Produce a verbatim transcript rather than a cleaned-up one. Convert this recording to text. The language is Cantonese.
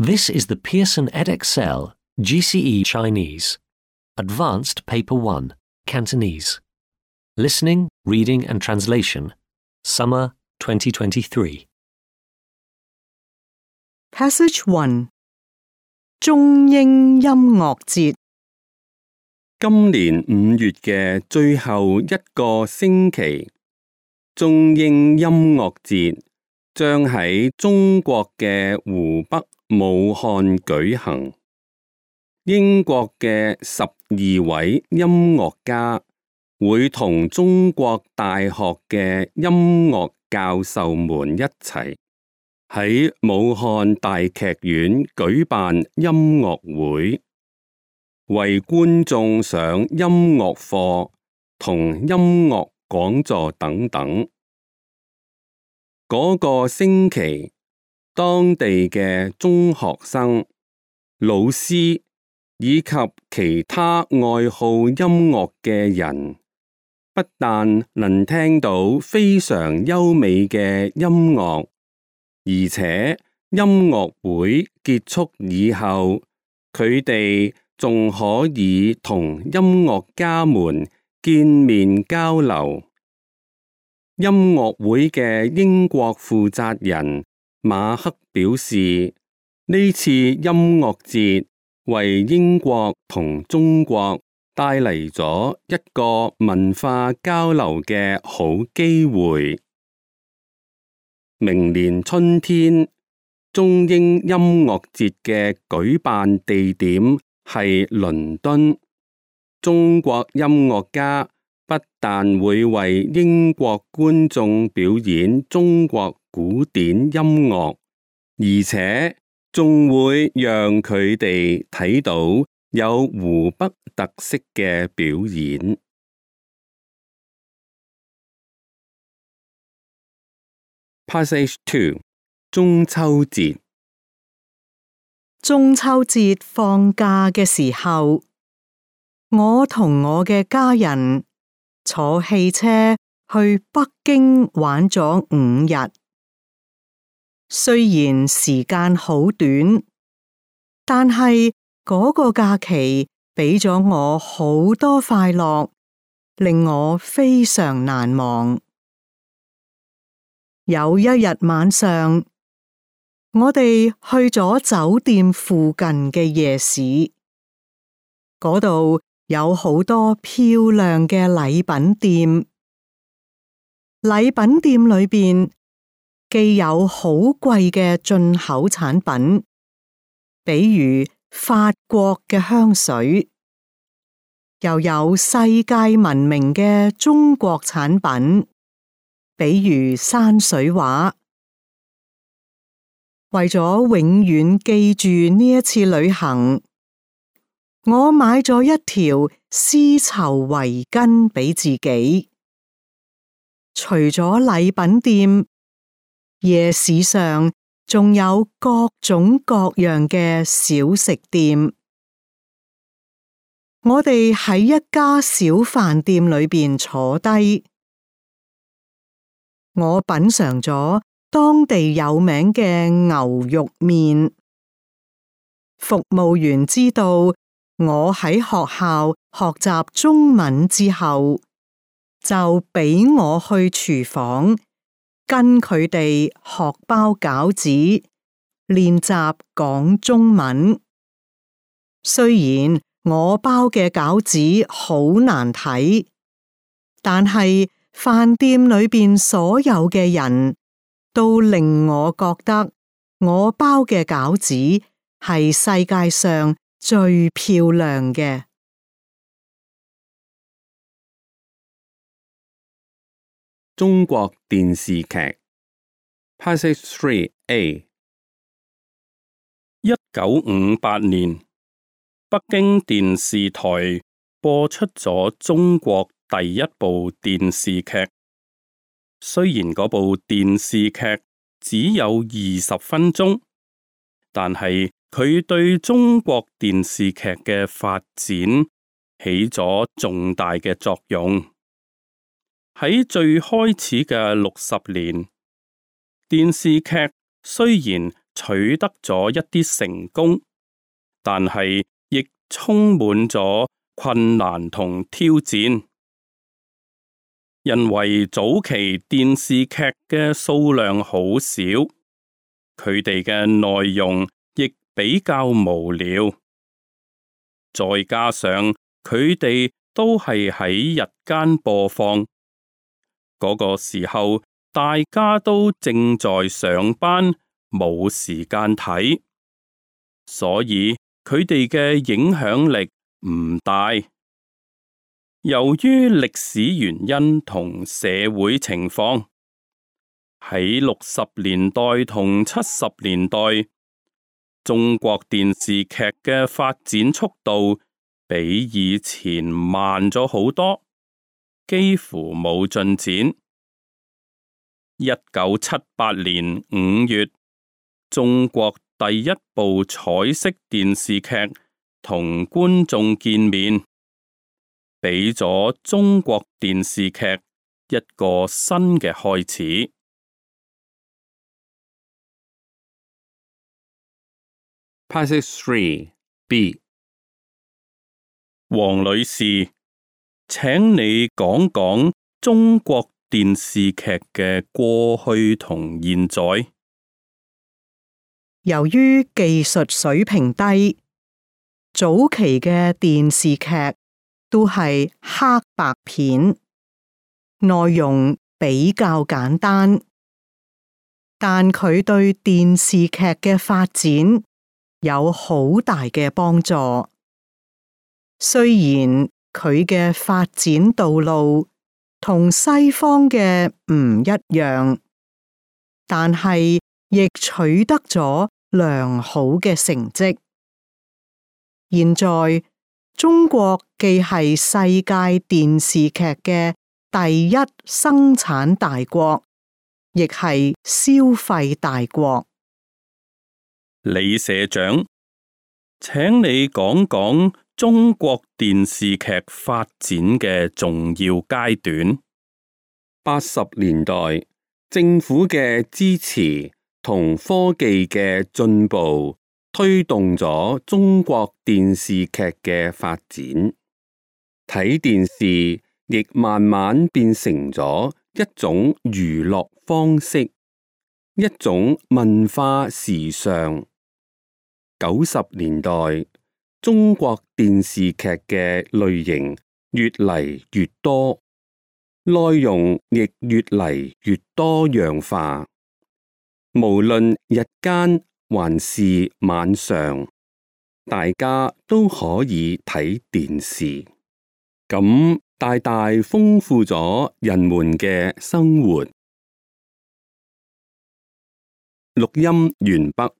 This is the Pearson Edexcel G C E Chinese, Advanced Paper one, Cantonese. Listening, Reading and Translation, Summer twenty twenty-three. Passage one 中英音樂節今年五月嘅最後一個星期，中英音樂節將喺中國嘅湖北武漢舉行。英國嘅十二位音樂家會同中國大學嘅音樂教授們一齊喺武漢大劇院舉辦音樂會，為觀眾上音樂課同音樂講座等等。嗰個星期，當地嘅中學生、老師以及其他愛好音樂嘅人，不但能聽到非常優美嘅音樂，而且音樂會結束以後，佢哋仲可以同音樂家們見面交流。音樂會嘅英國負責人馬克表示，呢次音樂節為英國同中國帶嚟咗一個文化交流嘅好機會。明年春天，中英音樂節嘅舉辦地點係倫敦。中國音樂家不但會為英國觀眾表演中國古典音樂，而且仲會讓佢哋睇到有湖北特色嘅表演。Passage two 中秋節中秋節放假嘅時候，我同我嘅家人坐汽車去北京玩咗五日。雖然時間好短，但係嗰個假期俾咗我好多快樂，令我非常難忘。有一日晚上，我哋去咗酒店附近嘅夜市，嗰度有好多漂亮嘅禮品店。禮品店裏邊既有好貴嘅進口產品，比如法國嘅香水，又有世界聞名嘅中國產品，比如山水畫。為咗永遠記住呢一次旅行，我買咗一條絲綢圍巾俾自己。除咗禮品店，夜市上仲有各種各樣嘅小食店。我哋喺一家小飯店裏邊坐低，我品嘗咗當地有名嘅牛肉麵。服務員知道我喺學校學習中文之後，就俾我去廚房跟佢哋學包餃子，練習講中文。雖然我包嘅餃子好難睇，但係飯店裏邊所有嘅人都令我覺得我包嘅餃子係世界上最漂亮嘅。中國電視劇 Passage three A 一九五八年，北京電視台播出咗中國第一部電視劇。雖然嗰部電視劇只有二十分鐘，但係佢對中國電視劇嘅發展起咗重大嘅作用。喺最開始嘅六十年，電視劇雖然取得咗一啲成功，但係亦充滿咗困難同挑戰。因為早期電視劇嘅數量好少，佢哋嘅內容亦比較無聊，再加上佢哋都係喺日間播放，嗰個時候大家都正在上班，冇時間睇，所以佢哋嘅影響力唔大。由於歷史原因同社會情況，喺六十年代同七十年代，中國電視劇嘅發展速度比以前慢咗好多，幾乎冇進展。一九七八年五月，中國第一部彩色電視劇同觀眾見面，俾咗中國電視劇一個新嘅開始。Passage three B 黃女士，請你講講中國電視劇嘅過去同現在。由於技術水平低，早期嘅電視劇都係黑白片，內容比較簡單，但佢對電視劇嘅發展有好大嘅幫助。雖然佢嘅發展道路同西方嘅唔一樣，但係亦取得咗良好嘅成績。現在中國既係世界電視劇嘅第一生產大國，亦係消費大國。李社長，請你講講中國電視劇發展嘅重要階段。八十年代，政府嘅支持同科技嘅進步，推動咗中國電視劇嘅發展。睇電視亦慢慢變成咗一種娛樂方式，一種文化時尚。九十年代，中國電視劇嘅類型越嚟越多，內容亦越嚟越多樣化。無論日間還是晚上，大家都可以睇電視，咁大大豐富咗人們嘅生活。錄音完畢。